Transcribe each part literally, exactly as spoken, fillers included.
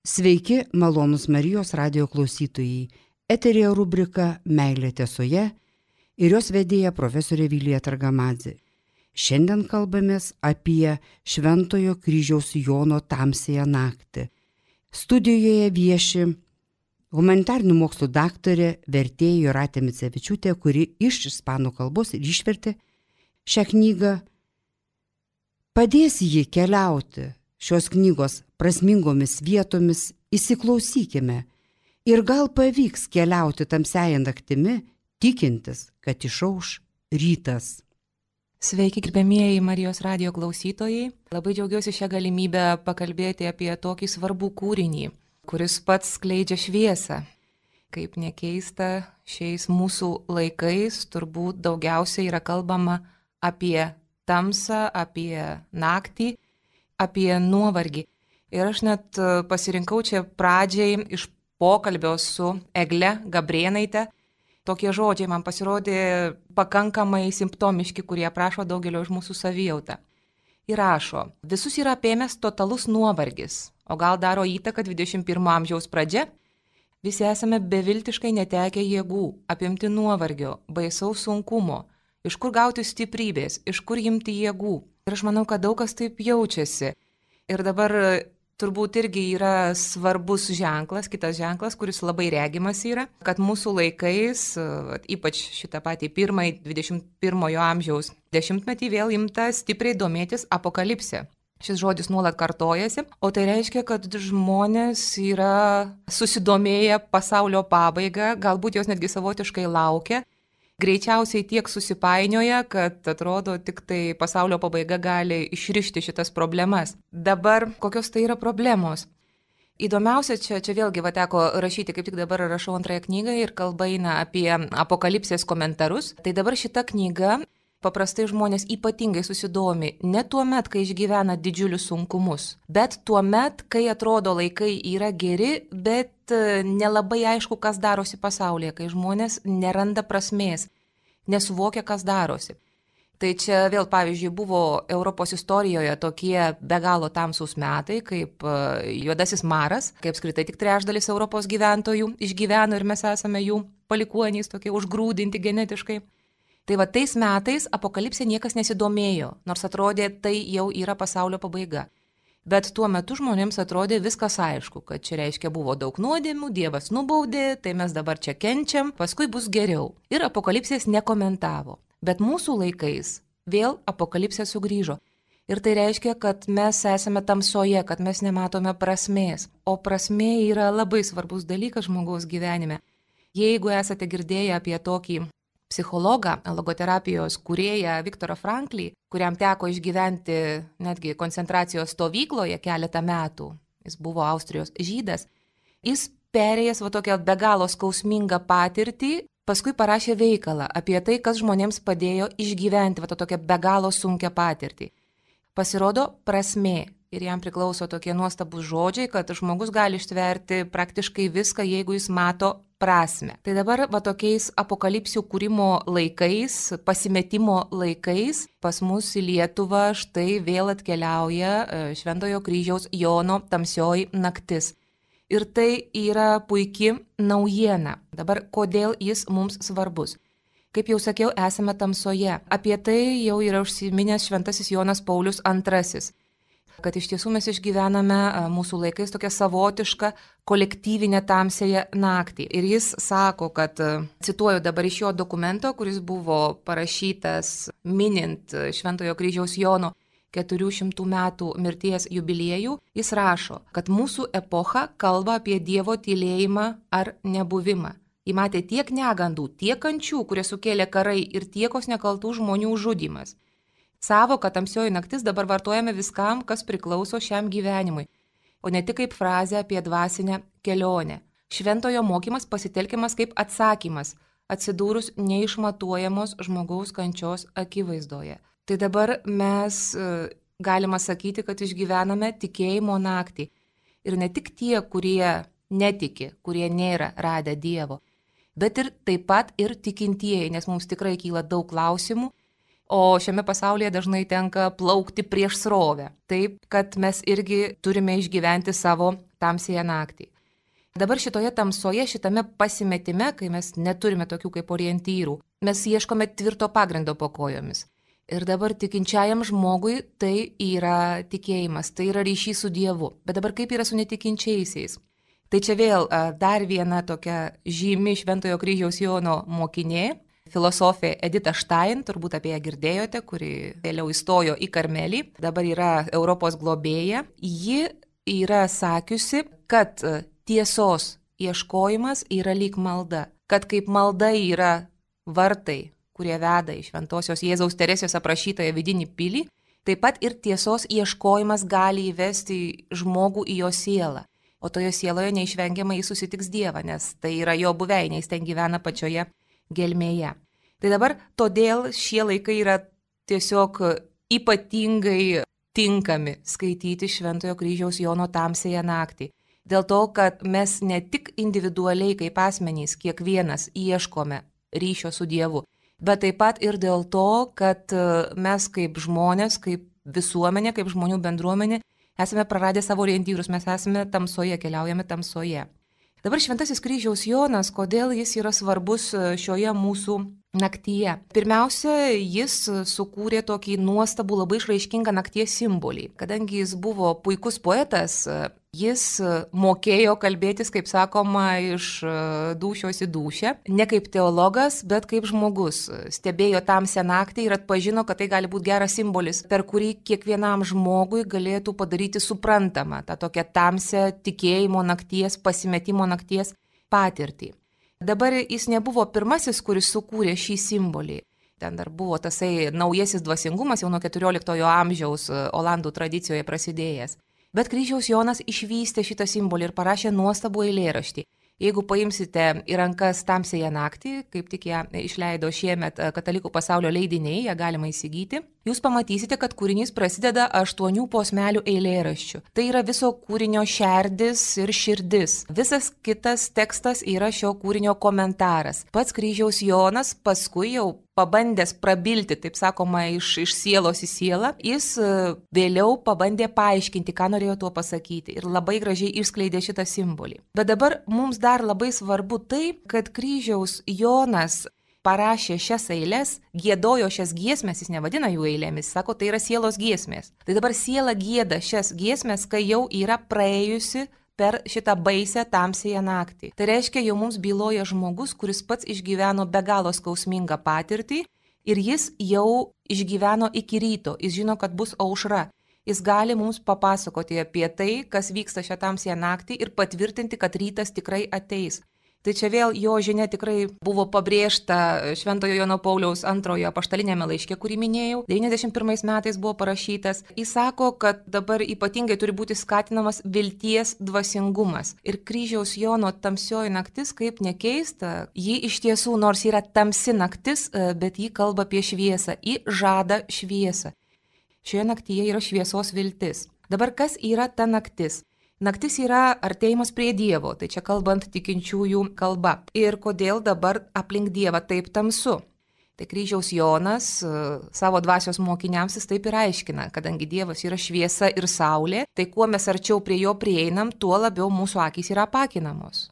Sveiki, malonūs Marijos radijo klausytojai. Eterėje rubrika Meilė tiesoje ir jos vedėja profesorė Vilija Targamadzė. Šiandien kalbamės apie Šventojo kryžiaus Jono tamsiąją naktį. Studijoje vieši humanitarinių mokslų daktarė, vertėja Jūratė Micevičiūtė, kuri iš ispanų kalbos ir išvertė šią knygą. Padės jį keliauti šios knygos prasmingomis vietomis, įsiklausykime ir gal pavyks keliauti tamsiąją naktimi, tikintis, kad išauš rytas. Sveiki, gerbėmieji Marijos radijo klausytojai. Labai džiaugiuosi šią galimybę pakalbėti apie tokį svarbų kūrinį, kuris pats skleidžia šviesą. Kaip nekeista, šiais mūsų laikais turbūt daugiausiai yra kalbama apie tamsą, apie naktį, apie nuovargį. Ir aš net pasirinkau čia pradžiai iš pokalbio su Egle Gabrėnaite. Tokie žodžiai man pasirodė pakankamai simptomiški, kurie aprašo daugelio iš mūsų savijautą. Ir rašo, visus yra apėmęs totalus nuovargis, o gal daro įtaką dvidešimt pirmo amžiaus pradžia? Visi esame beviltiškai netekę jėgų, apimti nuovargio, baisaus sunkumo. Iš kur gauti stiprybės, iš kur imti jėgų? Ir aš manau, kad daug kas taip jaučiasi. Ir dabar turbūt irgi yra svarbus ženklas, kitas ženklas, kuris labai regimas yra, kad mūsų laikais, ypač šitą patį pirmąjį dvidešimt pirmojo amžiaus dešimtmetį, vėl imta stipriai domėtis apokalipse. Šis žodis nuolat kartojasi, o tai reiškia, kad žmonės yra susidomėję pasaulio pabaiga, galbūt jos netgi savotiškai laukia. Greičiausiai tiek susipainioja, kad atrodo tik tai pasaulio pabaiga gali išrišti šitas problemas. Dabar kokios tai yra problemos? Įdomiausia, čia, čia vėlgi va teko rašyti, kaip tik dabar rašau antrąją knygą ir kalba eina apie apokalipsės komentarus. Tai dabar šita knyga paprastai žmonės ypatingai susidomi ne tuo met, kai išgyvena didžiulius sunkumus, bet tuo met, kai atrodo laikai yra geri, bet nelabai aišku, kas darosi pasaulyje, kai žmonės neranda prasmės, nesuvokia, kas darosi. Tai čia vėl, pavyzdžiui, buvo Europos istorijoje tokie be galo tamsūs metai, kaip juodasis maras, kaip apskritai tik trečdalis Europos gyventojų išgyveno ir mes esame jų palikuonys, tokie užgrūdinti genetiškai. Tai va tais metais apokalipsė niekas nesidomėjo, nors atrodė, tai jau yra pasaulio pabaiga. Bet tuo metu žmonėms atrodė viskas aišku, kad čia reiškia buvo daug nuodėmių, Dievas nubaudė, tai mes dabar čia kenčiam, paskui bus geriau. Ir apokalipsės nekomentavo. Bet mūsų laikais vėl apokalipsė sugrįžo. Ir tai reiškia, kad mes esame tamsoje, kad mes nematome prasmės. O prasmė yra labai svarbus dalykas žmogaus gyvenime. Jeigu esate girdėję apie tokį psichologą, logoterapijos kūrėją Viktorą Franklį, kuriam teko išgyventi netgi koncentracijos stovykloje keletą metų, jis buvo Austrijos žydas, jis perėjęs va tokią be galo skausmingą patirtį, paskui parašė veikalą apie tai, kas žmonėms padėjo išgyventi va tokią be galo sunkią patirtį. Pasirodo prasmė. Ir jam priklauso tokie nuostabus žodžiai, kad žmogus gali ištverti praktiškai viską, jeigu jis mato prasmę. Tai dabar va tokiais apokalipsių kūrimo laikais, pasimetimo laikais, pas mus į Lietuvą štai vėl atkeliauja Šventojo kryžiaus Jono tamsioji naktis. Ir tai yra puiki naujiena. Dabar kodėl jis mums svarbus? Kaip jau sakiau, esame tamsoje. Apie tai jau yra užsiminęs šventasis Jonas Paulius antrasis. Kad iš tiesų mes išgyvename mūsų laikais tokią savotišką kolektyvinę tamsiąją naktį. Ir jis sako, kad, cituoju dabar iš jo dokumento, kuris buvo parašytas minint Šventojo kryžiaus Jono keturių šimtų metų mirties jubiliejų, jis rašo, kad mūsų epocha kalba apie Dievo tylėjimą ar nebuvimą. Ji matė tiek negandų, tiek kančių, kurie sukėlė karai ir tiekos nekaltų žmonių žudymas. Savoką tamsioji naktis dabar vartojame viskam, kas priklauso šiam gyvenimui, o ne tik kaip frazė apie dvasinę kelionę. Šventojo mokymas pasitelkiamas kaip atsakymas, atsidūrus neišmatuojamos žmogaus kančios akivaizdoje. Tai dabar mes galima sakyti, kad išgyvename tikėjimo naktį. Ir ne tik tie, kurie netiki, kurie nėra radę Dievo, bet ir taip pat ir tikintieji, nes mums tikrai kyla daug klausimų, o šiame pasaulyje dažnai tenka plaukti prieš srovę. Taip, kad mes irgi turime išgyventi savo tamsiąją naktį. Dabar šitoje tamsoje, šitame pasimetime, kai mes neturime tokių kaip orientyrų, mes ieškome tvirto pagrindo po kojomis. Ir dabar tikinčiajam žmogui tai yra tikėjimas, tai yra ryšys su Dievu. Bet dabar kaip yra su netikinčiaisiais? Tai čia vėl dar viena tokia žymi Šventojo kryžiaus Jono mokinė, filosofė Edita Stein, turbūt apie ją girdėjote, kuri vėliau įstojo į Karmelį, dabar yra Europos globėja. Ji yra sakiusi, kad tiesos ieškojimas yra lyg malda, kad kaip malda yra vartai, kurie veda į Šventosios Jėzaus Teresės aprašytąją vidinį pilį, taip pat ir tiesos ieškojimas gali įvesti žmogų į jo sielą. O toje sieloje neišvengiamai jis susitiks Dievą, nes tai yra jo buveinė, jis ten gyvena pačioje gelmėje. Tai dabar todėl šie laikai yra tiesiog ypatingai tinkami skaityti Šventojo kryžiaus Jono tamsiąją naktį. Dėl to, kad mes ne tik individualiai kaip asmenys kiekvienas ieškome ryšio su Dievu, bet taip pat ir dėl to, kad mes kaip žmonės, kaip visuomenė, kaip žmonių bendruomenė, esame praradę savo orientyrus, mes esame tamsoje, keliaujame tamsoje. Dabar Šventasis kryžiaus Jonas, kodėl jis yra svarbus šioje mūsų naktyje? Pirmiausia, jis sukūrė tokį nuostabų, labai išraiškingą nakties simbolį. Kadangi jis buvo puikus poetas, jis mokėjo kalbėtis, kaip sakoma, iš dūšios į dūšią. Ne kaip teologas, bet kaip žmogus. Stebėjo tamsią naktį ir atpažino, kad tai gali būti geras simbolis, per kurį kiekvienam žmogui galėtų padaryti suprantamą tą tokią tamsią tikėjimo nakties, pasimetimo nakties patirtį. Dabar jis nebuvo pirmasis, kuris sukūrė šį simbolį. Ten dar buvo tasai naujasis dvasingumas, jau nuo keturioliktojo amžiaus olandų tradicijoje prasidėjęs. Bet kryžiaus Jonas išvystė šitą simbolį ir parašė nuostabų eilėraštį. Jeigu paimsite į rankas tamsiąją naktį, kaip tik ją išleido šiemet Katalikų pasaulio leidiniai, ją galima įsigyti, jūs pamatysite, kad kūrinys prasideda aštuonių posmelių eilėraščių. Tai yra viso kūrinio šerdis ir širdis. Visas kitas tekstas yra šio kūrinio komentaras. Pats kryžiaus Jonas paskui jau pabandęs prabilti, taip sakoma, iš, iš sielos į sielą, jis vėliau pabandė paaiškinti, ką norėjo tuo pasakyti ir labai gražiai išskleidė šitą simbolį. Bet dabar mums dar labai svarbu tai, kad kryžiaus Jonas parašė šias eiles, giedojo šias giesmes, jis nevadina jų eilėmis, sako, tai yra sielos giesmės. Tai dabar siela gieda šias giesmes, kai jau yra praėjusi per šitą baisę tamsiąją naktį. Tai reiškia, jau mums byloja žmogus, kuris pats išgyveno be galo skausmingą patirtį ir jis jau išgyveno iki ryto, jis žino, kad bus aušra. Jis gali mums papasakoti apie tai, kas vyksta šią tamsiąją naktį ir patvirtinti, kad rytas tikrai ateis. Tai čia vėl jo žinia tikrai buvo pabrėžta Šventojo Jono Pauliaus antrojo apaštalinėme laiške, kurį minėjau, devyniasdešimt pirmais metais buvo parašytas. Jis sako, kad dabar ypatingai turi būti skatinamas vilties dvasingumas. Ir kryžiaus Jono tamsioji naktis, kaip nekeista, ji iš tiesų, nors yra tamsi naktis, bet ji kalba apie šviesą, ji žada šviesą. Šioje naktyje yra šviesos viltis. Dabar kas yra ta naktis? Naktis yra artėjimas prie Dievo, tai čia kalbant tikinčiųjų kalba. Ir kodėl dabar aplink Dievą taip tamsu? Tai kryžiaus Jonas savo dvasios mokiniams jis taip ir aiškina, kadangi Dievas yra šviesa ir saulė, tai kuo mes arčiau prie jo prieinam, tuo labiau mūsų akys yra apakinamos.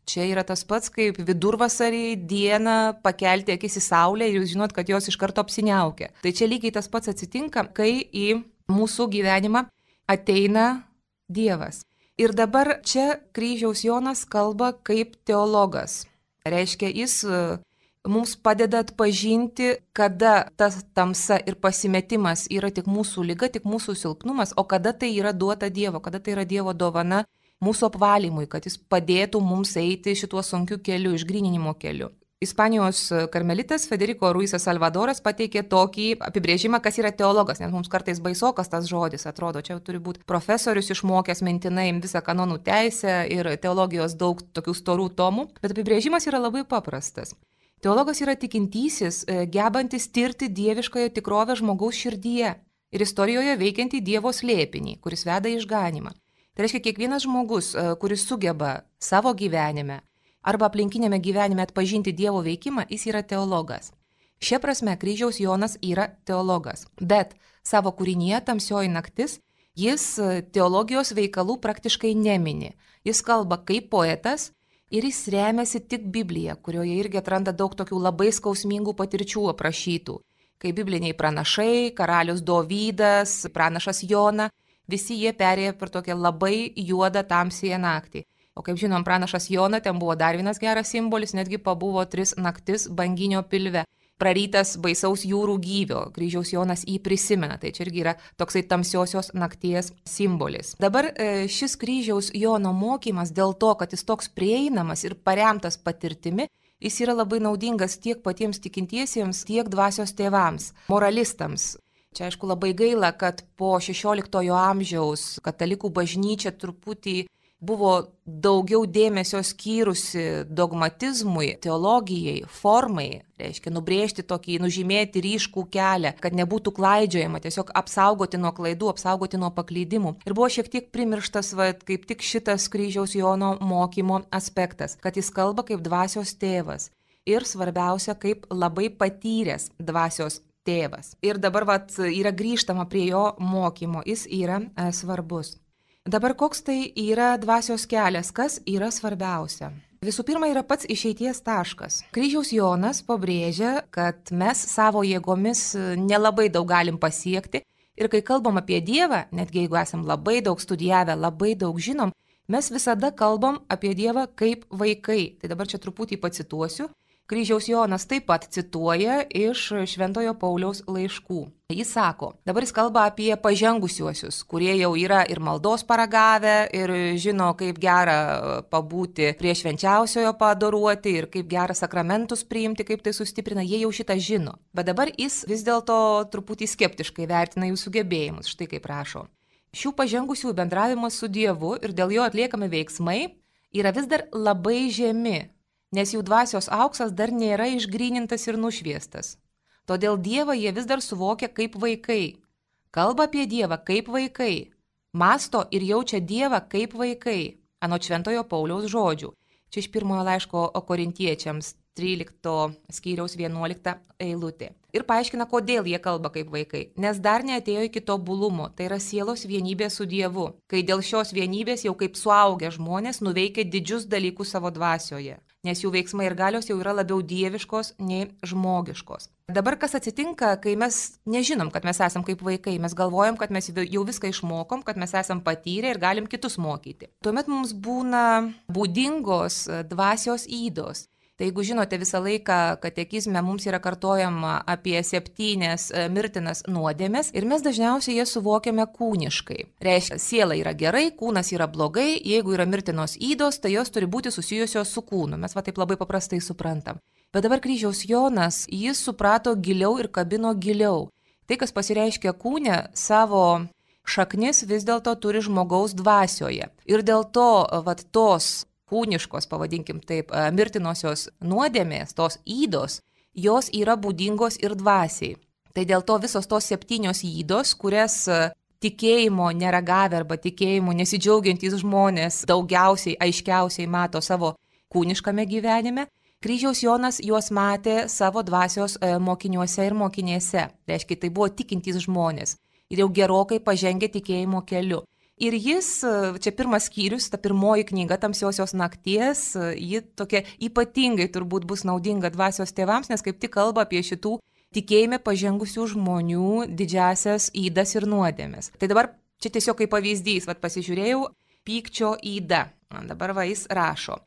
Čia yra tas pats, kaip vidurvasarį dieną pakelti akis į saulę ir jūs žinot, kad jos iš karto apsiniaukia. Tai čia lygiai tas pats atsitinka, kai į mūsų gyvenimą ateina Dievas. Ir dabar čia kryžiaus Jonas kalba kaip teologas. Reiškia, jis mums padeda atpažinti, kada tas tamsa ir pasimetimas yra tik mūsų liga, tik mūsų silpnumas, o kada tai yra duota Dievo, kada tai yra Dievo dovana mūsų apvalymui, kad jis padėtų mums eiti šituo sunkiu keliu, išgryninimo keliu. Ispanijos karmelitas Federico Ruizas Salvadoras pateikė tokį apibrėžimą, kas yra teologas, nes mums kartais baisokas tas žodis atrodo, čia turi būti profesorius išmokęs mintinai visą kanonų teisę ir teologijos daug tokių storų tomų, bet apibrėžimas yra labai paprastas. Teologas yra tikintysis, gebantis tirti dieviškąją tikrovę žmogaus širdyje ir istorijoje veikiantį Dievo slėpinį, kuris veda į išganymą. Tai reiškia, kiekvienas žmogus, kuris sugeba savo gyvenime arba aplinkinėme gyvenime atpažinti Dievo veikimą, jis yra teologas. Šia prasme kryžiaus Jonas yra teologas, bet savo kūrinyje tamsioji naktis Jis teologijos veikalų praktiškai nemini. Jis kalba kaip poetas ir jis remiasi tik Biblija, kurioje irgi atranda daug tokių labai skausmingų patirčių aprašytų. Kaip bibliniai pranašai, karalius Dovydas, pranašas Jona, visi jie perėjo per tokią labai juodą tamsiją naktį. O kaip žinom, pranašas Jona, ten buvo dar vienas geras simbolis, netgi pabuvo tris naktis banginio pilve. Prarytas baisaus jūrų gyvio, kryžiaus Jonas jį prisimena, tai čia irgi yra toksai tamsiosios nakties simbolis. Dabar šis kryžiaus Jono mokymas dėl to, kad jis toks prieinamas ir paremtas patirtimi, jis yra labai naudingas tiek patiems tikintiesiems, tiek dvasios tėvams, moralistams. Čia aišku labai gaila, kad po šešioliktojo amžiaus katalikų bažnyčia truputį buvo daugiau dėmesio skyrusi dogmatizmui, teologijai, formai, reiškia nubrėžti tokį, nužymėti ryškų kelią, kad nebūtų klaidžiojama, tiesiog apsaugoti nuo klaidų, apsaugoti nuo paklydimų. Ir buvo šiek tiek primirštas, va, kaip tik šitas kryžiaus Jono mokymo aspektas, kad jis kalba kaip dvasios tėvas ir svarbiausia, kaip labai patyręs dvasios tėvas. Ir dabar va, yra grįžtama prie jo mokymo, jis yra e, svarbus. Dabar koks tai yra dvasios kelias, kas yra svarbiausia? Visų pirma, yra pats išeities taškas. Kryžiaus Jonas pabrėžia, kad mes savo jėgomis nelabai daug galim pasiekti ir kai kalbam apie Dievą, netgi jeigu esam labai daug studijavę, labai daug žinom, mes visada kalbam apie Dievą kaip vaikai. Tai dabar čia truputį pacituosiu. Kryžiaus Jonas taip pat cituoja iš Šventojo Pauliaus laiškų. Jis sako, dabar jis kalba apie pažengusiuosius, kurie jau yra ir maldos paragavę, ir žino, kaip gera pabūti prie švenčiausiojo paadoruoti, ir kaip gera sakramentus priimti, kaip tai sustiprina, jie jau šitą žino. Bet dabar jis vis dėlto truputį skeptiškai vertina jų sugebėjimus, štai kaip rašo. Šių pažengusių bendravimas su Dievu ir dėl jo atliekami veiksmai yra vis dar labai žemi, nes jų dvasios auksas dar nėra išgrynintas ir nušviestas. Todėl Dievą jie vis dar suvokia kaip vaikai, kalba apie Dievą kaip vaikai, mąsto ir jaučia Dievą kaip vaikai, anot Šventojo Pauliaus žodžių. Čia iš pirmojo laiško Korintiečiams trylikto skyriaus vienuolikta eilutė. Ir paaiškina, kodėl jie kalba kaip vaikai, nes dar neatėjo iki tobulumo, tai yra sielos vienybė su Dievu, kai dėl šios vienybės jau kaip suaugę žmonės nuveikia didžius dalykus savo dvasioje, nes jų veiksmai ir galios jau yra labiau dieviškos nei žmogiškos. Dabar kas atsitinka, kai mes nežinom, kad mes esam kaip vaikai, mes galvojam, kad mes jau viską išmokom, kad mes esam patyrę ir galim kitus mokyti. Tuomet mums būna būdingos dvasios ydos. Tai jeigu žinote, visą laiką katekizme mums yra kartojama apie septynias mirtinas nuodėmes ir mes dažniausiai jas suvokiame kūniškai. Reiškia, siela yra gerai, kūnas yra blogai, jeigu yra mirtinos ydos, tai jos turi būti susijusios su kūnu. Mes va taip labai paprastai suprantam. Bet dabar kryžiaus Jonas, jis suprato giliau ir kabino giliau. Tai, kas pasireiškia kūne, savo šaknis vis dėlto turi žmogaus dvasioje. Ir dėl to, va, tos kūniškos, pavadinkim taip, mirtinosios nuodėmės, tos ydos, jos yra būdingos ir dvasiai. Tai dėl to visos tos septynios ydos, kurias tikėjimo neragavę arba tikėjimo nesidžiaugiantys žmonės daugiausiai, aiškiausiai mato savo kūniškame gyvenime, kryžiaus Jonas juos matė savo dvasios mokiniuose ir mokinėse. Reiškia, tai buvo tikintys žmonės ir jau gerokai pažengę tikėjimo keliu. Ir jis, čia pirmas skyrius, ta pirmoji knyga Tamsiosios nakties, ji tokia ypatingai turbūt bus naudinga dvasios tėvams, nes kaip tik kalba apie šitų tikėjime pažengusių žmonių didžiasias ydas ir nuodėmes. Tai dabar čia tiesiog kaip pavyzdys, vat pasižiūrėjau, pykčio yda. Dabar va jis rašo.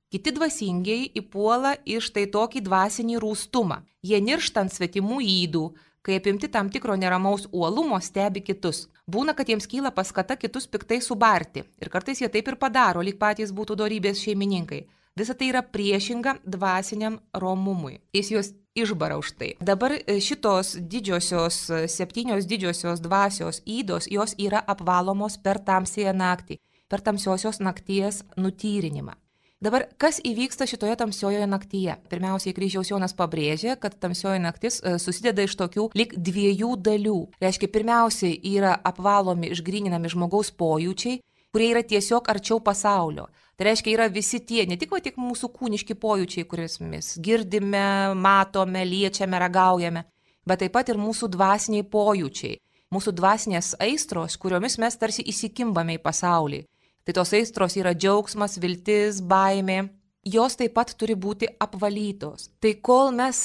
Kiti dvasingiai įpuola iš tai tokį dvasinį rūstumą. Jie niršta ant svetimų ydų, kai apimti tam tikro neramaus uolumo stebi kitus. Būna, kad jiems kyla paskata kitus piktai subarti. Ir kartais jie taip ir padaro, lyg patys būtų dorybės šeimininkai. Visa tai yra priešinga dvasiniam romumui. Jis juos išbara už tai. Dabar šitos didžiosios, septynios didžiosios dvasios ydos, jos yra apvalomos per tamsiąją naktį, per tamsiosios nakties nutyrinimą. Dabar, kas įvyksta šitoje tamsiojoje naktyje? Pirmiausiai, kryžiaus Jonas pabrėžė, kad tamsioji naktis susideda iš tokių lyg dviejų dalių. Reiškia, pirmiausiai yra apvalomi, išgryninami žmogaus pojūčiai, kurie yra tiesiog arčiau pasaulio. Tai reiškia, yra visi tie, ne tik, va, tik mūsų kūniški pojūčiai, kuriuos mes girdime, matome, liečiame, ragaujame, bet taip pat ir mūsų dvasiniai pojūčiai. mūsų dvasinės aistros, kuriomis mes tarsi įsikimbame į pasaulį. Tai tos aistros yra džiaugsmas, viltis, baimė. Jos taip pat turi būti apvalytos. Tai kol mes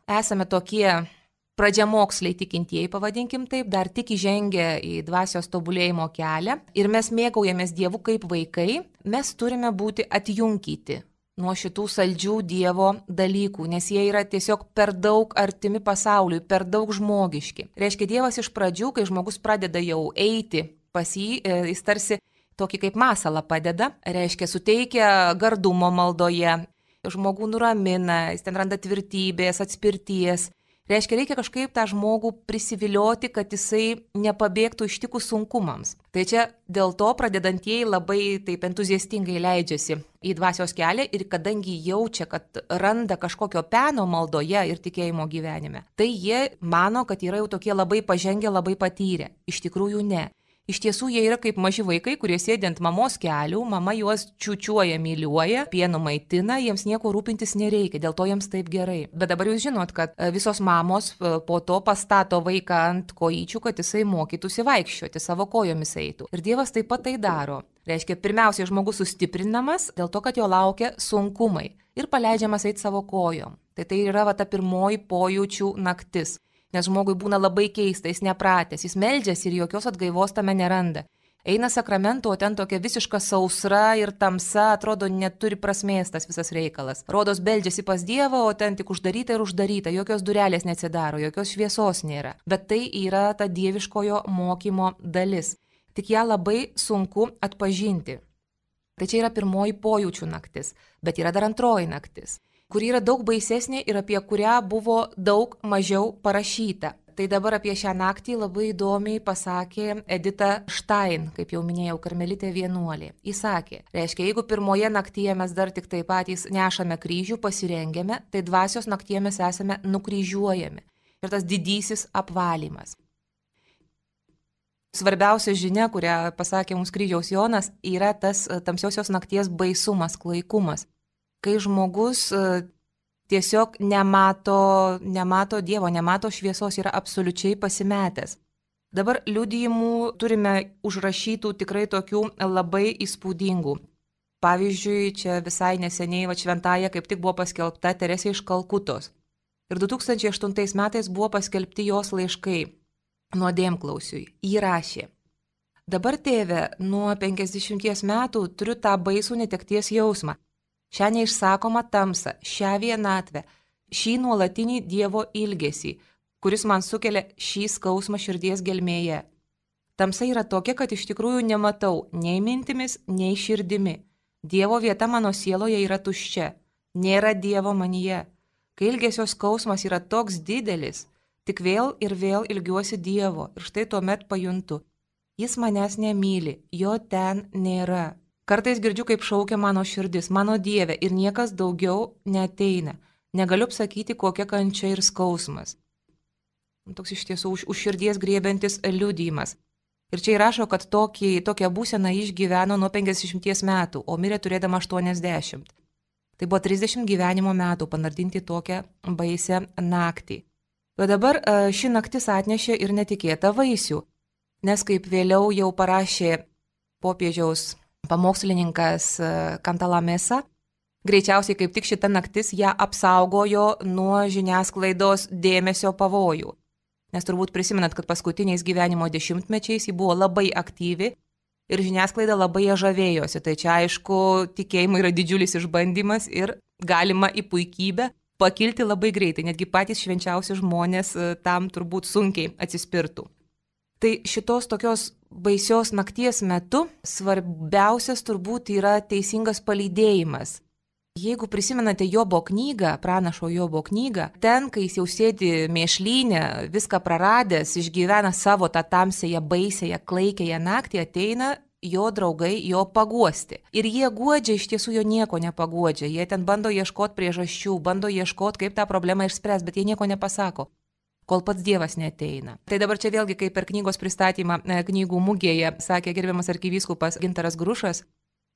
esame tokie pradžiamoksliai tikintieji, pavadinkim taip, dar tik įžengę į dvasios tobulėjimo kelią ir mes mėgaujamės Dievu kaip vaikai, mes turime būti atjunkyti nuo šitų saldžių Dievo dalykų, nes jie yra tiesiog per daug artimi pasauliui, per daug žmogiški. Reiškia, Dievas iš pradžių, kai žmogus pradeda jau eiti pas jį, jis tarsi tokį kaip masalą padeda, reiškia, suteikia gardumo maldoje, žmogų nuramina, jis ten randa tvirtybės, atspirties. Reiškia, reikia kažkaip tą žmogų prisivilioti, kad jisai nepabėgtų ištikus sunkumams. Tai čia dėl to pradedantieji labai taip entuziastingai leidžiasi į dvasios kelią ir kadangi jaučia, kad randa kažkokio peno maldoje ir tikėjimo gyvenime, tai jie mano, kad yra jau tokie labai pažengę, labai patyrę. Iš tikrųjų ne. Iš tiesų jie yra kaip maži vaikai, kurie sėdi ant mamos kelių, mama juos čiūčiuoja, myliuoja, pienu maitina, jiems nieko rūpintis nereikia, dėl to jiems taip gerai. Bet dabar jūs žinot, kad visos mamos po to pastato vaiką ant kojyčių, kad jisai mokytųsi vaikščioti, savo kojomis eitų. Ir Dievas taip pat tai daro. Reiškia, pirmiausia, žmogus sustiprinamas dėl to, kad jo laukia sunkumai ir paleidžiamas eiti savo kojom. Tai tai yra va ta pirmoji pojūčių naktis. Nes žmogui būna labai keista, jis nepratęs, jis meldžiasi ir jokios atgaivos tame neranda. Eina sakramento, o ten tokia visiška sausra ir tamsa, atrodo, neturi prasmės tas visas reikalas. Rodos beldžiasi pas Dievą, o ten tik uždaryta ir uždaryta, jokios durelės neatsidaro, jokios šviesos nėra. Bet tai yra ta dieviškojo mokymo dalis. Tik ją labai sunku atpažinti. Tai čia yra pirmoji pojūčių naktis, bet yra dar antroji naktis, kuri yra daug baisesnė ir apie kurią buvo daug mažiau parašyta. Tai dabar apie šią naktį labai įdomiai pasakė Edita Stein, kaip jau minėjau, karmelitė vienuolė. Jis sakė, reiškia, jeigu pirmoje naktyje mes dar tik taip patys nešame kryžių, pasirengiame, tai dvasios naktyje mes esame nukryžiuojami. Ir tas didysis apvalymas. Svarbiausia žinia, kurią pasakė mums kryžiaus Jonas, yra tas tamsiosios nakties baisumas, klaikumas. Kai žmogus tiesiog nemato, nemato Dievo, nemato šviesos, yra absoliučiai pasimetęs. Dabar liudijimų turime užrašytų tikrai tokių labai įspūdingų. Pavyzdžiui, čia visai neseniai va, šventąja kaip tik buvo paskelbta Teresė iš Kalkutos. Ir du tūkstančiai aštuntais metais buvo paskelbti jos laiškai nuodėmklausiui. Ji rašė: Dabar, tėve, nuo penkiasdešimties metų turiu tą baisų netekties jausmą. Šią neišsakomą tamsą, šią vienatvę, šį nuolatinį Dievo ilgesį, kuris man sukelia šį skausmą širdies gelmėje. Tamsa yra tokia, kad iš tikrųjų nematau nei mintimis, nei širdimi. Dievo vieta mano sieloje yra tuščia, nėra Dievo manyje. Kai ilgesio skausmas yra toks didelis, tik vėl ir vėl ilgiuosi Dievo ir štai tuomet pajuntu. Jis manęs nemyli, jo ten nėra. Kartais girdžiu, kaip šaukia mano širdis, mano Dieve, ir niekas daugiau neateina. Negaliu pasakyti, kokia kančia ir skausmas. Toks iš tiesų už, už širdies griebiantis liudijimas. Ir čia įrašo, kad tokį, tokią būseną išgyveno nuo penkiasdešimties metų, o mirė turėdama aštuoniasdešimt. Tai buvo trisdešimt gyvenimo metų panardinti tokią baisę naktį. O dabar ši naktis atnešė ir netikėtą vaisių, nes kaip vėliau jau parašė popiežiaus pamokslininkas Kantalamesa, greičiausiai kaip tik šita naktis ją apsaugojo nuo žiniasklaidos dėmesio pavojų. Nes turbūt prisimenat, kad paskutiniais gyvenimo dešimtmečiais ji buvo labai aktyvi ir žiniasklaida labai ją žavėjosi. Tai čia aišku, tikėjimo yra didžiulis išbandymas ir galima į puikybę pakilti labai greitai. Netgi patys švenčiausi žmonės tam turbūt sunkiai atsispirtų. Tai šitos tokios baisios nakties metu svarbiausias turbūt yra teisingas palydėjimas. Jeigu prisimenate Jobo knygą, pranašo Jobo knygą, ten, kai jis jau sėdi mėšlyne, viską praradęs, išgyvena savo tą tamsėje, baisėje, klaikėje naktį, ateina jo draugai jo paguosti. Ir jie guodžia, iš tiesų jo nieko nepaguodžia. Jie ten bando ieškoti priežasčių, bando ieškoti, kaip tą problemą išspręs, bet jie nieko nepasako, kol pats Dievas neateina. Tai dabar čia vėlgi, kaip per knygos pristatymą knygų mugėje sakė gerbiamas arkivyskupas Gintaras Grušas,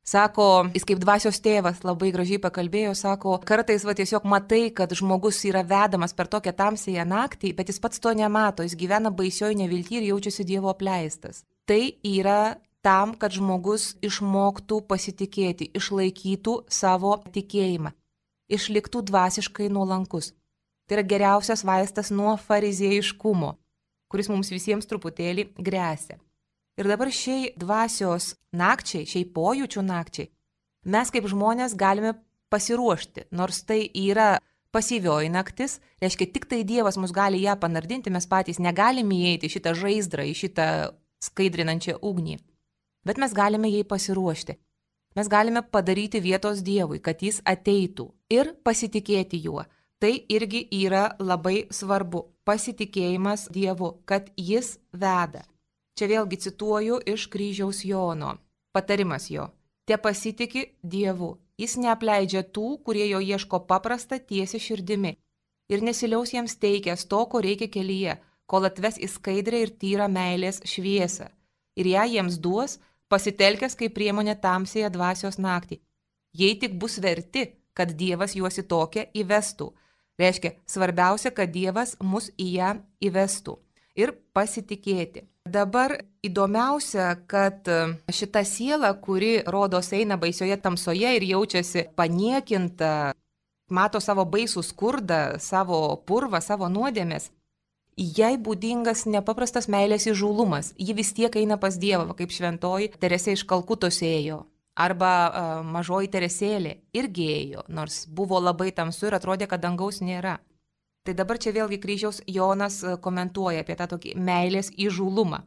Sako, jis kaip dvasios tėvas labai gražiai pakalbėjo, sako, kartais va tiesiog matai, kad žmogus yra vedamas per tokią tamsėją naktį, bet jis pats to nemato, jis gyvena baisioj nevilty ir jaučiasi Dievo apleistas. Tai yra tam, kad žmogus išmoktų pasitikėti, išlaikytų savo tikėjimą, išliktų dvasiškai nuolankus. Tai yra geriausias vaistas nuo farizėjiškumo, kuris mums visiems truputėlį gresia. Ir dabar šiai dvasios nakčiai, šiai pojūčių nakčiai, mes kaip žmonės galime pasiruošti, nors tai yra pasyvioji naktis, reiškia tik tai Dievas mus gali ją panardinti, mes patys negalime įeiti į šitą žaizdrą, į šitą skaidrinančią ugnį, bet mes galime jai pasiruošti. Mes galime padaryti vietos Dievui, kad jis ateitų ir pasitikėti juo. Tai irgi yra labai svarbu, pasitikėjimas Dievu, kad jis veda. Čia vėlgi cituoju iš kryžiaus Jono. Patarimas jo. Te pasitiki Dievu. Jis neapleidžia tų, kurie jo ieško paprastą tiesią širdimi. Ir nesiliaus jiems teikęs to, ko reikia kelyje, kol atves į skaidrę ir tyrą meilės šviesą. Ir ją jiems duos, pasitelkęs kaip priemonė tamsėje dvasios naktį. Jei tik bus verti, kad Dievas juos į tokią įvestų. Reiškia, svarbiausia, kad Dievas mus į ją įvestų. Ir pasitikėti. Dabar įdomiausia, kad šita siela, kuri rodos eina baisioje tamsoje ir jaučiasi paniekinta, mato savo baisų skurdą, savo purvą, savo nuodėmės, jai būdingas nepaprastas meilės įžūlumas. Ji vis tiek eina pas Dievą, kaip šventoji Teresė iš Kalkutos ėjo. Arba uh, mažoji Teresėlė irgi ėjo, nors buvo labai tamsu ir atrodė, kad dangaus nėra. Tai dabar čia vėlgi kryžiaus Jonas komentuoja apie tą tokį meilės įžūlumą.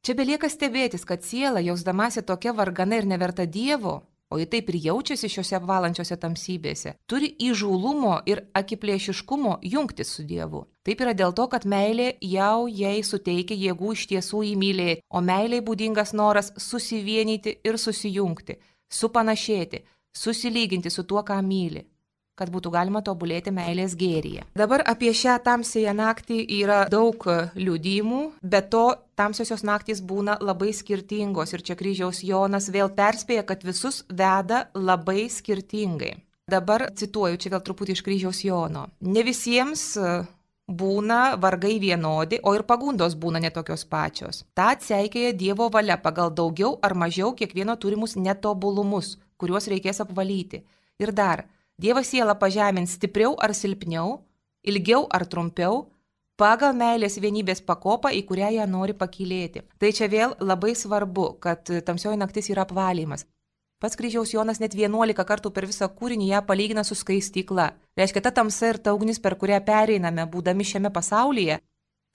Čia belieka stebėtis, kad siela, jausdamasi tokia vargana ir neverta Dievo, o ji taip ir jaučiasi šiuose apvalančiose tamsybėse, turi įžūlumo ir akiplėšiškumo jungtis su Dievu. Taip yra dėl to, kad meilė jau jai suteikia jėgų iš tiesų įmylėti, o meiliai būdingas noras susivienyti ir susijungti, supanašėti, susilyginti su tuo, ką myli, kad būtų galima tobulėti meilės gėryje. Dabar apie šią tamsėją naktį yra daug liudijimų, bet to tamsiosios naktys būna labai skirtingos ir čia kryžiaus Jonas vėl perspėja, kad visus veda labai skirtingai. Dabar cituoju čia vėl truputį iš kryžiaus Jono. Ne visiems būna vargai vienodi, o ir pagundos būna netokios pačios. Ta atseikėja Dievo valia pagal daugiau ar mažiau kiekvieno turimus netobulumus, kuriuos reikės apvalyti. Ir dar, Dievas sielą pažemins stipriau ar silpniau, ilgiau ar trumpiau, pagal meilės vienybės pakopą, į kurią ją nori pakylėti. Tai čia vėl labai svarbu, kad tamsioji naktis yra apvalymas. Pats kryžiaus Jonas net vienuolika kartų per visą kūrinį ją palygina su skaistykla. Reiškia, ta tamsa ir ta ugnis, per kurią pereiname, būdami šiame pasaulyje,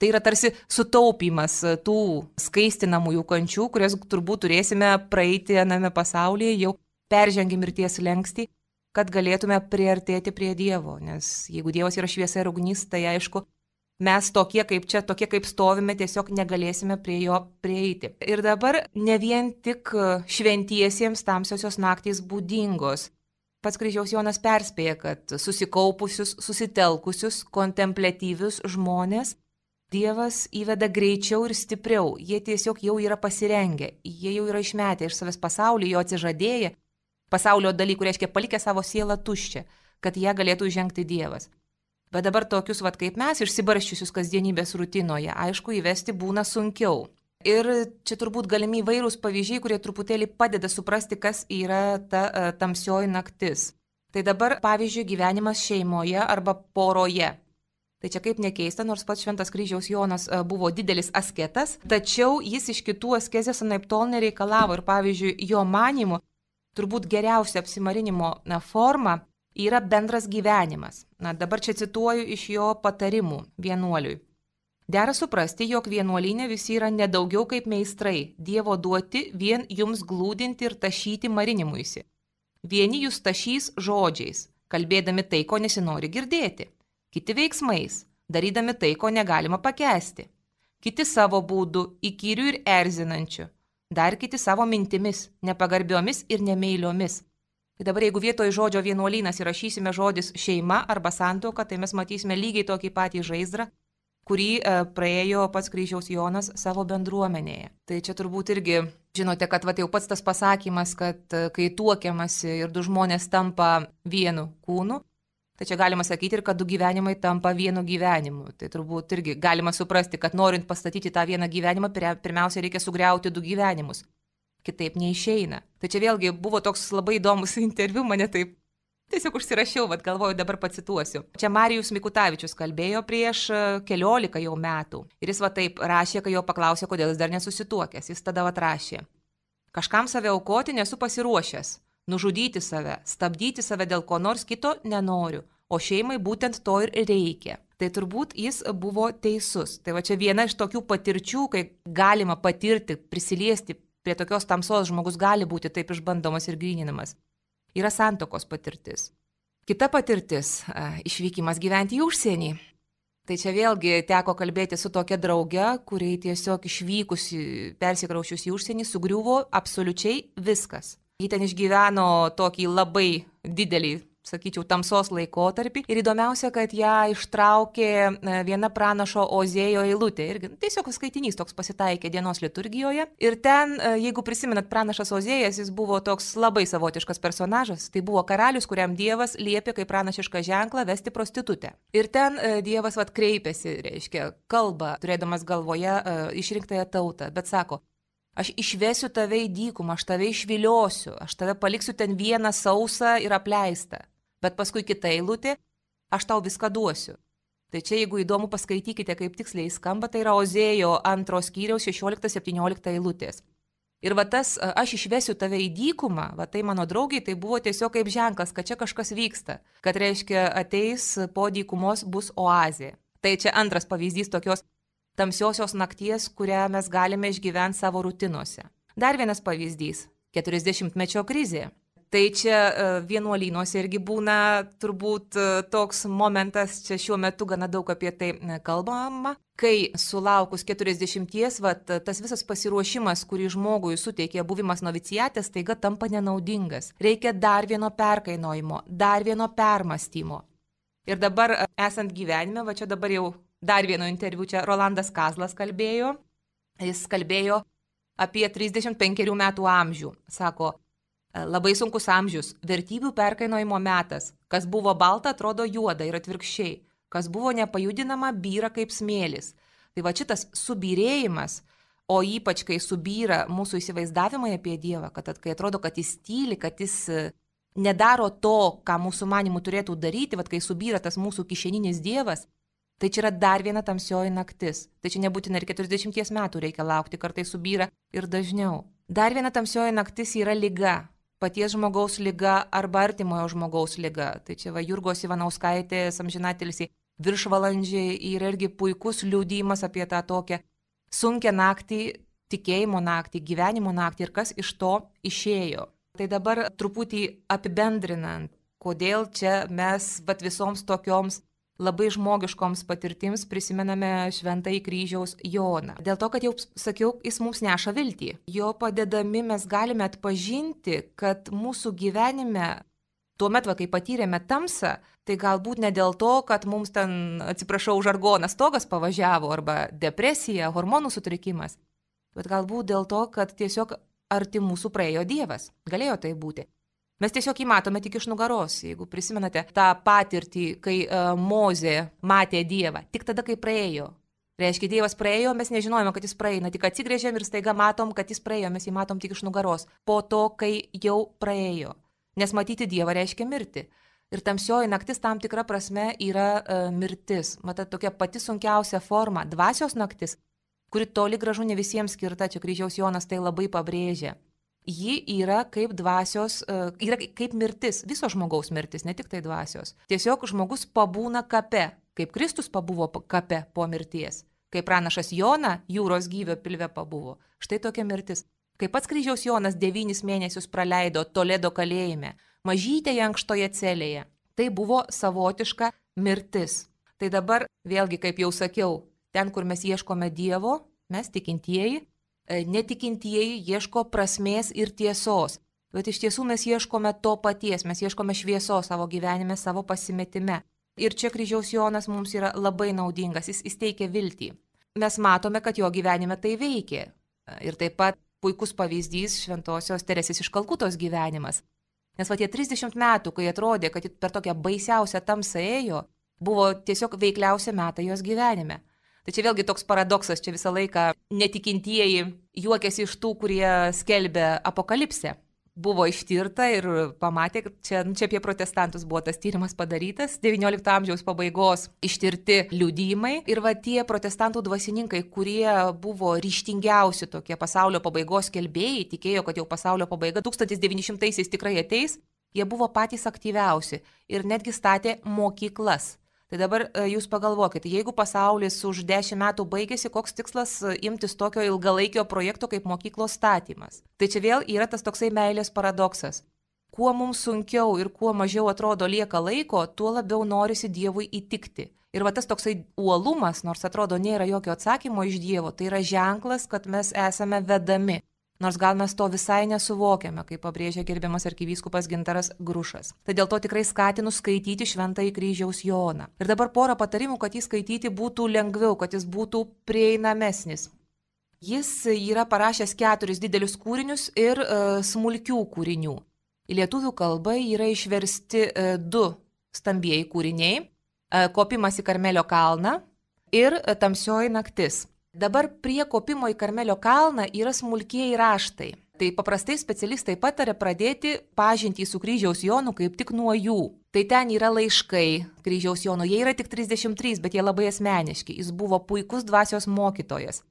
tai yra tarsi sutaupimas tų skaistinamųjų kančių, kurias turbūt turėsime praeiti aname pasaulyje, jau peržengę mirties slenkstį, kad galėtume priartėti prie Dievo, nes jeigu Dievas yra šviesa ir ugnis, tai aišku, mes tokie kaip čia, tokie kaip stovime, tiesiog negalėsime prie jo prieiti. Ir dabar ne vien tik šventiesiems tamsiosios naktys būdingos. Pats kryžiaus Jonas perspėja, kad susikaupusius, susitelkusius, kontempliatyvius žmonės Dievas įveda greičiau ir stipriau. Jie tiesiog jau yra pasirengę, jie jau yra išmetę iš savęs pasaulį, jo atsižadėję, pasaulio dalykų, reiškia palikę savo sielą tuščią, kad ją galėtų įžengti Dievas. Bet dabar tokius, vat, kaip mes, išsibarščiusius kasdienybės rutinoje, aišku, įvesti būna sunkiau. Ir čia turbūt galimi įvairūs pavyzdžiai, kurie truputėlį padeda suprasti, kas yra ta uh, tamsioji naktis. Tai dabar, pavyzdžiui, gyvenimas šeimoje arba poroje. Tai čia kaip nekeista, nors pats Šventas kryžiaus Jonas uh, buvo didelis asketas, tačiau jis iš kitų askezės anaiptol nereikalavo ir, pavyzdžiui, jo manimu, turbūt geriausia apsimarinimo na, forma yra bendras gyvenimas. Na, dabar čia cituoju iš jo patarimų vienuoliui. Dera suprasti, jog vienuolyne visi yra nedaugiau kaip meistrai, Dievo duoti vien jums glūdinti ir tašyti marinimuisi. Vieni jūs tašys žodžiais, kalbėdami tai, ko nesinori girdėti. Kiti veiksmais, darydami tai, ko negalima pakęsti. Kiti savo būdu, įkyrių ir erzinančių. Dar kiti savo mintimis, nepagarbiomis ir nemeiliomis. Tai dabar jeigu vietoj žodžio vienuolynas įrašysime žodis šeima arba santuoka, tai mes matysime lygiai tokį patį žaizdrą, kurį e, praėjo pats kryžiaus Jonas savo bendruomenėje. Tai čia turbūt irgi Žinote, kad va, jau pats tas pasakymas, kad kai tuokiamasi ir du žmonės tampa vienu kūnu, tai čia galima sakyti ir kad du gyvenimai tampa vienu gyvenimu. Tai turbūt irgi galima suprasti, kad norint pastatyti tą vieną gyvenimą, pirmiausia reikia sugriauti du gyvenimus. Kitaip neišeina. Tai čia vėlgi buvo toks labai įdomus interviu, mane taip tiesiog užsirašiau, bet galvoju, dabar pacituosiu. Čia Marijus Mikutavičius kalbėjo prieš keliolika jau metų. Ir jis va taip rašė, kai jo paklausė, kodėl jis dar nesusituokęs. Jis tada va rašė. Kažkam save aukoti nesu pasiruošęs. Nužudyti save, stabdyti save dėl ko nors kito nenoriu. O šeimai būtent to ir reikia. Tai turbūt jis buvo teisus. Tai va čia viena iš tokių patirčių, kai galima patirti, prisiliesti prie tokios tamsos, žmogus gali būti taip išbandomas ir gryninamas. Yra santuokos patirtis. Kita patirtis – išvykimas gyventi į užsienį. Tai čia vėlgi teko kalbėti su tokia drauge, kuriai tiesiog išvykusi, persikraušius į užsienį, sugriuvo absoliučiai viskas. Ji ten išgyveno tokį labai didelį, sakyčiau, tamsos laikotarpį. Ir įdomiausia, kad ją ištraukė viena pranašo Ozėjo eilutė. Ir tiesiog skaitinys toks pasitaikė dienos liturgijoje. Ir ten, jeigu prisimenat, pranašas Ozėjas, jis buvo toks labai savotiškas personažas. Tai buvo karalius, kuriam Dievas liepė kaip pranašišką ženklą vesti prostitutę. Ir ten Dievas vat kreipėsi, reiškia, kalba, turėdamas galvoje išrinktąją tautą. Bet sako, aš išvesiu tave į dykumą, aš tave išviliosiu, aš tave paliksiu ten vieną sausą ir apleistą. Bet paskui kita eilutė, aš tau viską duosiu. Tai čia, jeigu įdomu, paskaitykite, kaip tiksliai skamba, tai yra Ozėjo antros skyriaus šešiolikta septyniolikta eilutės. Ir va tas, aš išvesiu tave į dykumą, va tai mano draugiai, tai buvo tiesiog kaip ženklas, kad čia kažkas vyksta. Kad reiškia, ateis po dykumos bus oazė. Tai čia antras pavyzdys tokios tamsiosios nakties, kurią mes galime išgyventi savo rutinuose. Dar vienas pavyzdys – keturiasdešimtmečio krizė. Tai čia vienuolynuose irgi būna turbūt toks momentas, čia šiuo metu gana daug apie tai kalbama, kai sulaukus keturiasdešimties, vat, tas visas pasiruošimas, kurį žmogui suteikė buvimas novicijate, staiga tampa nenaudingas. Reikia dar vieno perkainojimo, dar vieno permąstymo. Ir dabar esant gyvenime, va čia dabar jau dar vieno interviu, čia Rolandas Kazlas kalbėjo, jis kalbėjo apie trisdešimt penkerių metų amžių, sako, labai sunkus amžius, vertybių perkainojimo metas, kas buvo balta atrodo juoda ir atvirkščiai, kas buvo nepajudinama byra kaip smėlis. Tai va šitas subyrėjimas, o ypač kai subyra mūsų įsivaizdavimai apie Dievą, kad kai atrodo, kad jis tyli, kad jis nedaro to, ką mūsų manimų turėtų daryti, va kai subyra tas mūsų kišeninis Dievas, tai čia yra dar viena tamsioji naktis. Tai čia nebūtina ir keturiasdešimties metų reikia laukti, kartais subyra ir dažniau. Dar viena tamsioji naktis yra liga. Paties žmogaus liga arba artimojo žmogaus liga. Tai čia va Jurgos Ivanauskaitės amžinatilsį viršvalandžiai yra irgi puikus liudijimas apie tą tokią sunkią naktį, tikėjimo naktį, gyvenimo naktį ir kas iš to išėjo. Tai dabar truputį apibendrinant, kodėl čia mes vat visoms tokioms labai žmogiškoms patirtims prisimename Šventąjį Kryžiaus Joną. Dėl to, kad jau sakiau, jis mums neša viltį. Jo padedami mes galime atpažinti, kad mūsų gyvenime, tuomet, va, kai patyrėme tamsą, tai galbūt ne dėl to, kad mums ten, atsiprašau, žargonas stogas pavažiavo arba depresija, hormonų sutrikimas, bet galbūt dėl to, kad tiesiog arti mūsų praėjo Dievas. Galėjo tai būti. Mes tiesiog jį matome tik iš nugaros, jeigu prisimenate tą patirtį, kai uh, Mozė matė Dievą, tik tada, kai praėjo. Reiškia, Dievas praėjo, mes nežinojome, kad jis praeina, tik atsigrėžėm ir staiga matom, kad jis praėjo, mes jį matom tik iš nugaros, po to, kai jau praėjo. Nes matyti Dievą reiškia mirti. Ir tamsioji naktis tam tikra prasme yra uh, mirtis. Matot, tokia pati sunkiausia forma, dvasios naktis, kuri toli gražu ne visiems skirta, čia Kryžiaus Jonas tai labai pabrėžia. Ji yra kaip dvasios, yra kaip mirtis, viso žmogaus mirtis, ne tik tai dvasios. Tiesiog žmogus pabūna kape, kaip Kristus pabuvo kape po mirties, kaip pranašas Jona jūros gyvio pilve pabuvo. Štai tokia mirtis. Kaip pats Kryžiaus Jonas devynis mėnesius praleido Toledo kalėjime, mažytėje ankštoje celėje. Tai buvo savotiška mirtis. Tai dabar, vėlgi, kaip jau sakiau, ten, kur mes ieškome Dievo, mes tikintieji, netikintieji ieško prasmės ir tiesos, bet iš tiesų mes ieškome to paties, mes ieškome šviesos savo gyvenime, savo pasimetime. Ir čia Kryžiaus Jonas mums yra labai naudingas, jis, jis teikia viltį. Mes matome, kad jo gyvenime tai veikia. Ir taip pat puikus pavyzdys šventosios Teresės iš Kalkutos gyvenimas. Nes va tie trisdešimt metų, kai atrodė, kad per tokią baisiausią tamsą ėjo, buvo tiesiog veikliausia metai jos gyvenime. Tai čia vėlgi toks paradoksas, čia visą laiką netikintieji juokiasi iš tų, kurie skelbia apokalipsę. Buvo ištirta ir pamatė, kad čia, čia apie protestantus buvo tas tyrimas padarytas, devyniolikto amžiaus pabaigos ištirti liudijimai. Ir va tie protestantų dvasininkai, kurie buvo ryžtingiausi tokie pasaulio pabaigos skelbėjai, tikėjo, kad jau pasaulio pabaiga tūkstantis devyni šimtaisiais tikrai ateis, jie buvo patys aktyviausi ir netgi statė mokyklas. Tai dabar jūs pagalvokite, jeigu pasaulis už dešimt metų baigėsi, koks tikslas imtis tokio ilgalaikio projekto kaip mokyklos statymas. Tai čia vėl yra tas toksai meilės paradoksas. Kuo mums sunkiau ir kuo mažiau atrodo lieka laiko, tuo labiau norisi Dievui įtikti. Ir va tas toksai uolumas, nors atrodo nėra jokio atsakymo iš Dievo, tai yra ženklas, kad mes esame vedami. Nors gal mes to visai nesuvokiame, kaip pabrėžia gerbiamas arkivyskupas Gintaras Grušas. Tai dėl to tikrai skatinu skaityti Šventąjį Kryžiaus Joną. Ir dabar porą patarimų, kad jį skaityti būtų lengviau, kad jis būtų prieinamesnis. Jis yra parašęs keturis didelius kūrinius ir e, smulkių kūrinių. Į lietuvių kalbą yra išversti e, du stambieji kūriniai e, – Kopimas į Karmelio kalną ir e, Tamsioji naktis. Dabar prie kopimo į Karmelio kalną yra smulkieji raštai. Tai paprastai specialistai patarė pradėti pažintį su Kryžiaus Jonu kaip tik nuo jų. Tai ten yra laiškai Kryžiaus Jono, jie yra tik trisdešimt trys, bet jie labai asmeniški. Jis buvo puikus dvasios mokytojas.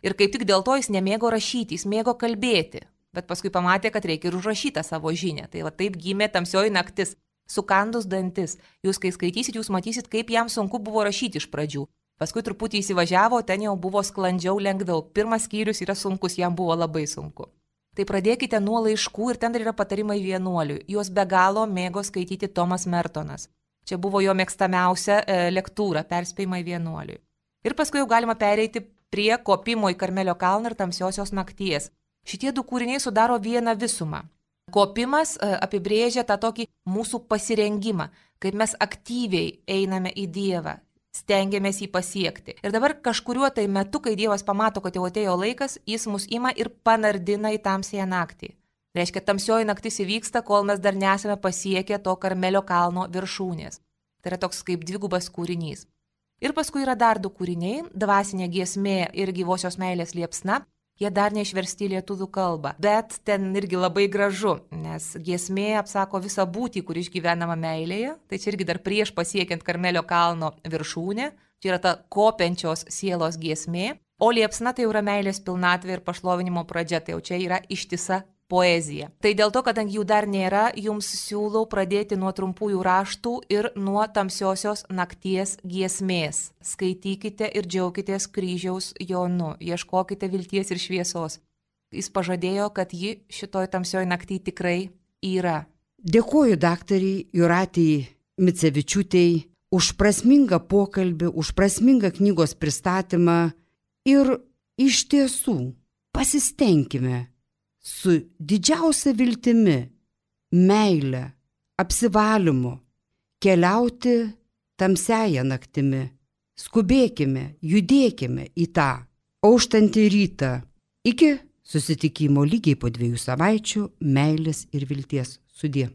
Ir kaip tik dėl to jis nemėgo rašyti, jis mėgo kalbėti. Bet paskui pamatė, kad reikia ir užrašytą savo žinią. Tai va taip gimė Tamsioji naktis, sukandus dantis. Jūs kai skaitysit, jūs matysit, kaip jam sunku buvo rašyti iš pradžių. Paskui truputį įsivažiavo, ten jau buvo sklandžiau, lengviau. Pirmas skyrius yra sunkus, jam buvo labai sunku. Tai pradėkite nuo laiškų ir ten dar yra patarimai vienuoliui. Juos be galo mėgo skaityti Tomas Mertonas. Čia buvo jo mėgstamiausia e, lektūra, perspėjimai vienuoliui. Ir paskui jau galima pereiti prie Kopimo į Karmelio kalną ir Tamsiosios nakties. Šitie du kūriniai sudaro vieną visumą. Kopimas e, apibrėžia tą tokį mūsų pasirengimą, kaip mes aktyviai einame į Dievą. Stengiamės jį pasiekti. Ir dabar kažkuriuo tai metu, kai Dievas pamato, kad jau atėjo laikas, jis mus ima ir panardina į tamsiąją naktį. Reiškia, tamsioji naktis įvyksta, kol mes dar nesame pasiekę to Karmelio kalno viršūnės. Tai yra toks kaip dvigubas kūrinys. Ir paskui yra dar du kūriniai, dvasinė giesmė ir gyvosios meilės liepsna. Jie dar neišversti į lietuvių kalbą, bet ten irgi labai gražu, nes giesmė apsako visą būtį, kur išgyvenama meilėje, tai čia irgi dar prieš pasiekiant Karmelio kalno viršūnę, čia yra ta kopiančios sielos giesmė, o liepsna tai jau yra meilės pilnatvė ir pašlovinimo pradžia, tai jau čia yra ištisa poezija. Tai dėl to, kadangi jų dar nėra, jums siūlau pradėti nuo trumpųjų raštų ir nuo Tamsiosios nakties giesmės. Skaitykite ir džiaukitės Kryžiaus Jonu, ieškokite vilties ir šviesos. Jis pažadėjo, kad ji šitoj tamsioj nakty tikrai yra. Dėkuoju daktariai Jūratei Micevičiūtei už prasmingą pokalbį, už prasmingą knygos pristatymą ir iš tiesų pasistengime su didžiausia viltimi, meile, apsivalymu keliauti tamsiąją naktimi. Skubėkime, judėkime į tą auštantį rytą. Iki susitikimo lygiai po dviejų savaičių, meilės ir vilties. Sudie.